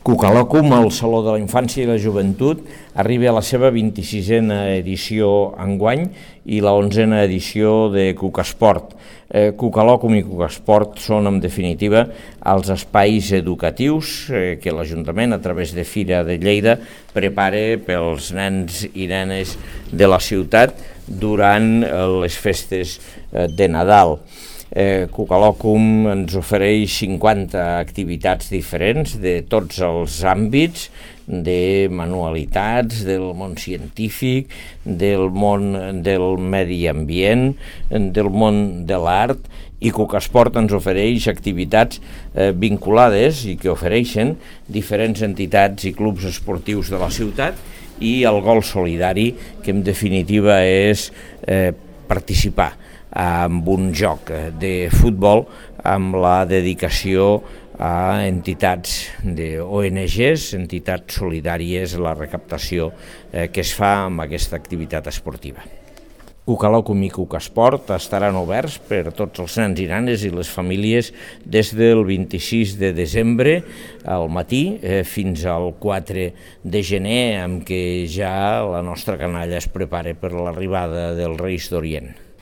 Cucalòcum, el Saló de la Infància i la Joventut, arriba a la seva 26a edició enguany i la 11a edició de Cucasport. Cucalòcum i Cucasport són, en definitiva, els espais educatius que l'Ajuntament, a través de Fira de Lleida, prepara pels nens i nenes de la ciutat durant les festes de Nadal. Cucalòcum ens ofereix 50 activitats diferents de tots els àmbits, de manualitats, del món científic, del món del medi ambient, del món de l'art, i Cucasport ens ofereix activitats vinculades i que ofereixen diferents entitats i clubs esportius de la ciutat, i el gol solidari, que en definitiva és participar amb un joc de futbol amb la dedicació a entitats d'ONGs, entitats solidàries, la recaptació que es fa amb aquesta activitat esportiva. Cucalòcum i Cucasport estaran oberts per tots els nens i nenes i les famílies des del 26 de desembre al matí fins al 4 de gener, amb què ja la nostra canalla es prepara per l'arribada dels Reis d'Orient.